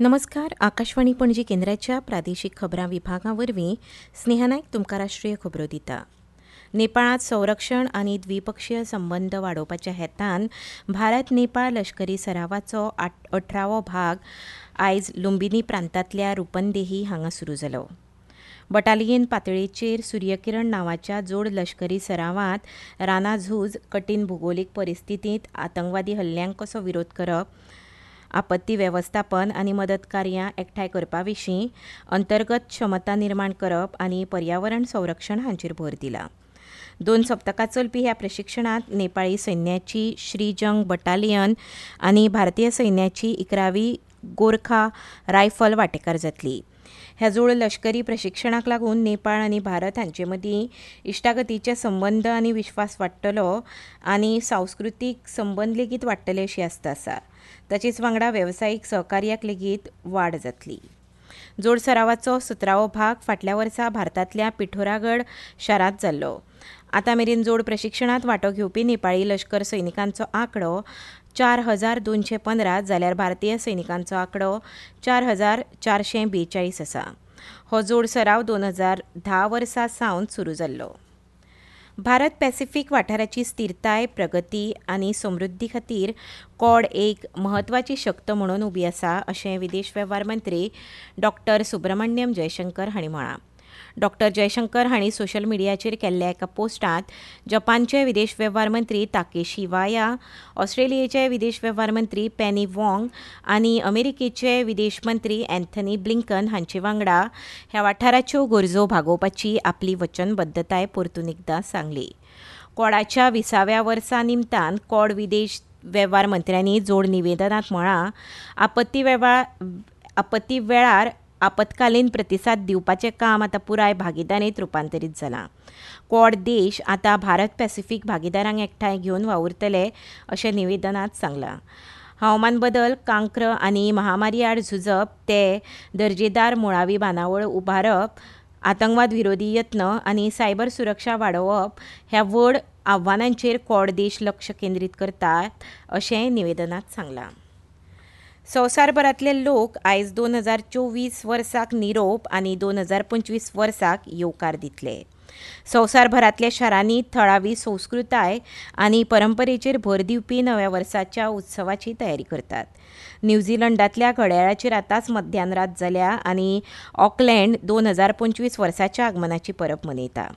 नमस्कार, आकाशवाणी पणजी केंद्राच्या प्रादेशीक खबरां विभागा वरवीं स्नेहा नायक तुमकां राष्ट्रीय खबरो दिता. नेपाळांत संरक्षण आनी द्विपक्षीय संबंद वाडोवपाच्या हेतान भारत नेपाळ लश्करी सरावाचो 18वो भाग आयज लुंबिनी प्रांतांतल्या रुपनदेही हांगा सुरू जालो. बटालियन पातळेचेर सूर्यकिरण नांवाच्या जोड लश्करी सरावांत रानाझूज, कठीण भुगोलीक परिस्थितींत आतंकवादी हल्ल्यांक कसो विरोध करप, आपत्ती वेवस्थापन आनी मदत कार्यां एकठांय करपा विशीं अंतर्गत क्षमता निर्माण करप आनी पर्यावरण संरक्षण हांचेर भर दिला. 2 सप्तकां चलपी ह्या प्रशिक्षणांत नेपाळी सैन्याची श्रीजंग बटालियन आनी भारतीय सैन्याची 11वी गोरखा रायफल वांटेकार जातली. ह्या जोड लश्करी प्रशिक्षणाक लागून नेपाळ आनी भारत हांचे मदीं इश्टागतीचे संबंद आनी विश्वास वाडटलो आनी सांस्कृतीक संबंद लेगीत वाडटले अशी आस्त आसा. ताचेच वांगडा वेवसायीक सहकार्याक लेगीत वाड जातली. जोड सरावाचो 17वो भाग फाटल्या वर्सा भारतांतल्या पिठोरागड शारांत जाल्लो. आतां मेरेन जोड प्रशिक्षणांत वांटो घेवपी नेपाळी लश्कर सैनिकांचो आंकडो 4215 जाल्यार भारतीय सैनिकांचो आंकडो 4442 आसा. हो जोड सराव 2010 वर्सा सावन सुरू जाल्लो. भारत पॅसिफीक वाठाराची स्थिरताय, प्रगती आनी समृद्धी खातीर कॉड एक म्हत्वाची शक्त म्हणून उबी आसा अशें विदेश वेव्हार मंत्री डॉ. सुब्रमण्यम जयशंकर हांणी म्हळां. डॉ. जयशंकर हांणी सोशल मिडियाचेर केल्ल्या एका पोस्टांत जपानचे विदेश वेव्हार मंत्री ताकेशी वाया, ऑस्ट्रेलियेचे विदेश वेव्हार मंत्री पेनी वॉंग आनी अमेरिकेचे विदेश मंत्री अँथनी ब्लिंकन हांचे वांगडा ह्या वाठाराच्यो गरजो भागोवपाची आपली वचनबद्धताय परतून एकदां सांगली. कॉडाच्या 20व्या वर्सा निमतान कॉड विदेश वेव्हार मंत्र्यांनी जोड निवेदनांत म्हळां, आपत्ती वेळार आपत्कालीन प्रतिसाद दिवपाचें काम आतां पुराय भागीदारींत रुपांतरीत जालां. क्वॉड देश आतां भारत पॅसिफीक भागीदारांक एकठांय घेवन वावुरतले अशें निवेदनांत सांगलां. हवामान बदल, कांक्र आनी महामारी आड झुजप ते दर्जेदार मुळावी बांदावळ उबारप, आतंकवाद विरोधी यत्न आनी सायबर सुरक्षा वाडोवप ह्या व्हड आव्हानांचेर क्वॉड देश लक्ष केंद्रीत करतात अशें निवेदनांत सांगलां. संवसारभरांतले लोक आयज 2024 वर्साक निरोप आनी 2025 वर्साक येवकार दितले. संवसारभरांतल्या शारांनी थळावी संस्कृताय आनी परंपरेचेर भर दिवपी नव्या वर्साच्या उत्सवाची तयारी करतात. न्यूझीलंडांतल्या घड्याळाचेर आतांच मध्यानरात जाल्या आनी ऑकलँड 2025 वर्साच्या आगमनाची परब मनयता.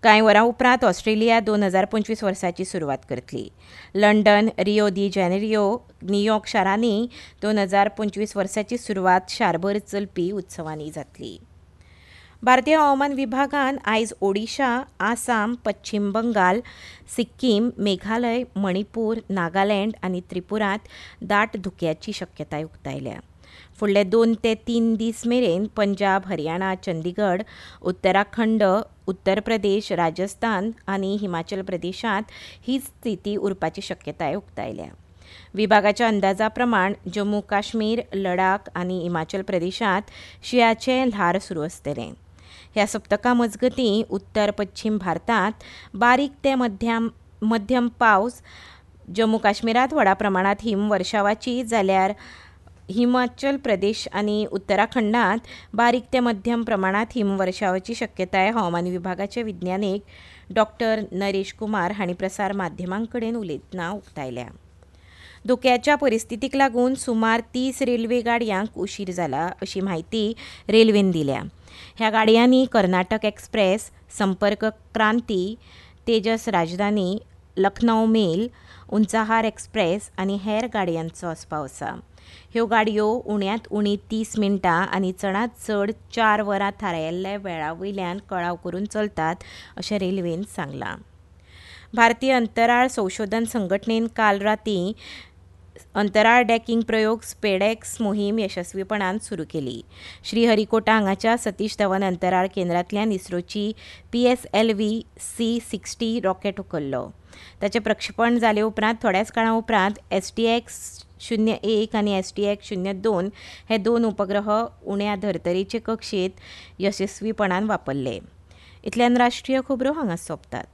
कांय वरां उपरांत ऑस्ट्रेलिया 2025 वर्साची सुरवात करतली. London, Rio de Janeiro, New York शारांनी 2025 वर्साची सुरवात शारभर चलपी उत्सवांनी जातली. भारतीय हवामान विभागान आयज ओडिशा, आसाम, पश्चिम बंगाल, सिक्कीम, मेघालय, मणिपूर, नागालँड आनी त्रिपुरांत दाट धुक्याची शक्यताय उक्तायल्या. फुडले 2 ते 3 दीस मेरेन पंजाब, हरियाणा, चंदीगड, उत्तराखंड, उत्तर प्रदेश, राजस्थान आनी हिमाचल प्रदेशांत हीच स्थिती उरपाची शक्यताय उक्तायल्या. विभागाच्या अंदाजा प्रमाण जम्मू काश्मीर, लडाख आनी हिमाचल प्रदेशांत शिंयाचें ल्हार सुरू आसतलें. ह्या सप्तका मजगतीं उत्तर पश्चिम भारतांत बारीक ते मध्यम पावस, जम्मू काश्मीरांत व्हडा प्रमाणांत हिमवर्षावाची जाल्यार हिमाचल प्रदेश आनी उत्तराखंडांत बारीक ते मध्यम प्रमाणांत हिमवर्षावाची शक्यताय हवामान विभागाचे विज्ञानीक डॉ. नरेश कुमार हांणी प्रसार माध्यमां कडेन उलयतना उक्तायल्या. धोक्याच्या परिस्थितीक लागून सुमार 30 रेल्वे गाडयांक उशीर जाला अशी म्हायती रेल्वेन दिल्या. ह्या गाडयांनी Karnataka express, Sampark Kranti, Tejas Rajdhani, Lucknow mail, Unchahar express आनी हेर गाडयांचो आस्पाव आसा. ह्यो गाडयो उण्यांत उणी 30 मिनटां आनी चडांत चड 4 वरां थारायिल्ल्या वेळा वयल्यान कळाव करून चलतात अशें रेल्वेन सांगलां. भारतीय अंतराळ संशोधन संघटनेन काल रातीं अंतराळ डॅकिंग प्रयोग स्पेडेक्स मोहीम यशस्वीपणान सुरू केली. श्रीहरिकोटा हांगाच्या सतीश धवन अंतराळ केंद्रांतल्यान इस्रोची PSLV C-60 rocket उखल्लो. ताचें प्रक्षेपण जाले उपरांत थोड्याच काळा उपरांत STX-01 आनी STX-02 हे 2 उपग्रह उण्या धर्तरेचे कक्षेंत यशस्वीपणान वापरले. इतल्यान राष्ट्रीय खबरो हांगा सोंपतात.